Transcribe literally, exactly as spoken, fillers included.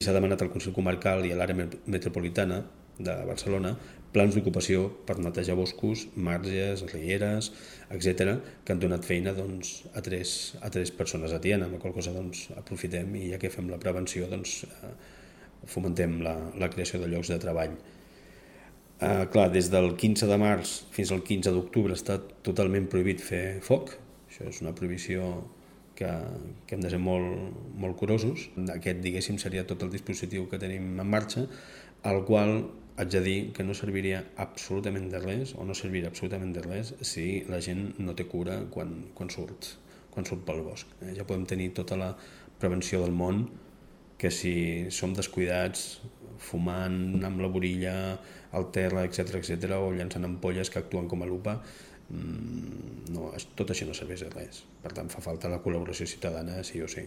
S'ha demanat al Consell Comarcal i a l'àrea metropolitana de Barcelona plans d'ocupació per netejar boscos, marges, rieres, etcètera, que han donat feina doncs, a, tres, a tres persones a Tiana, amb la qual cosa doncs, aprofitem i ja que fem la prevenció doncs, eh, fomentem la, la creació de llocs de treball. Eh, clar, des del quinze de març fins al quinze d'octubre està totalment prohibit fer foc. Això és una prohibició que, que hem de ser molt, molt curosos. Aquest, diguéssim, seria tot el dispositiu que tenim en marxa, al qual haig de dir que no serviria absolutament de res, o no servirà absolutament de res, si la gent no té cura quan, quan, surt, quan surt pel bosc. Eh? Ja podem tenir tota la prevenció del món, que si som descuidats, fumant amb la borilla al terra, etcètera, etcètera, o llançant ampolles que actuen com a lupa, no, tot això no serveix de res. Per tant, fa falta la col·laboració ciutadana sí o sí.